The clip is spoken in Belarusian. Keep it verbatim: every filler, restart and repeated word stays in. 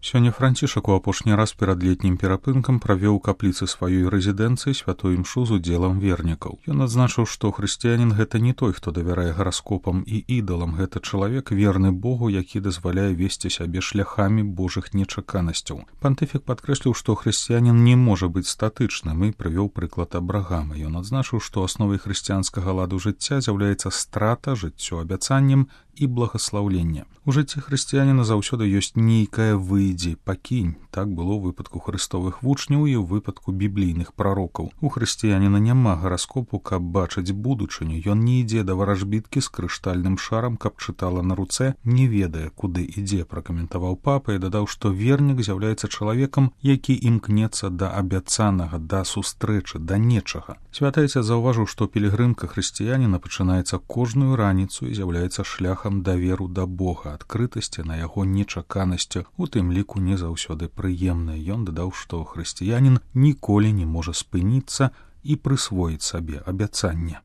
Сёння Францішак у апошні раз перад летнім перапынкам правёў у капліцы сваёй рэзідэнцыі святую імшу з удзелам вернікаў. Ён адзначыў, што хрысціянін гэта не той, хто давярае гараскопам і ідалам, гэта чалавек верны Богу, які дазваляе весці сябе шляхамі Божых нечаканасцяў. Пантыфік падкрэсліў, што хрысціянін не можа быць статычным і прывёў прыклад Абрагама. Ён адзначыў, што асновай хрысціянскага ладу жыцця з'яўляецца страта, жыццё абяцаннем і благаслаўленне. У жыцці хрысціяніна заўсёды ёсць нейкае выйдзе, пакінь. Так было ў выпадку хрыстовых вучняў і ў выпадку біблійных прарокаў. У хрысціяніна няма гараскопу, каб бачыць будучыню. Ён не ідзе да варажбіткі з крыштальным шарам, каб чытала на руцэ, не ведае, куды ідзе, пракаментаваў папа і дадаў, што вернік з'яўляецца чалавекам, які імкнецца да абяцанага, да сустрэчы, да нечага. Святы Айцец заўважыў, што пілігрымка хрысціяніна пачынаецца кожную раніцу і з'яўляецца шляхам даверу да Бога, адкрытасці на яго нечаканасці, у тым ліку не заўсёды прыемнай. Ён дадаў, што хрысціянін ніколі не можа спыніцца і прысвоіць сабе абяцанне.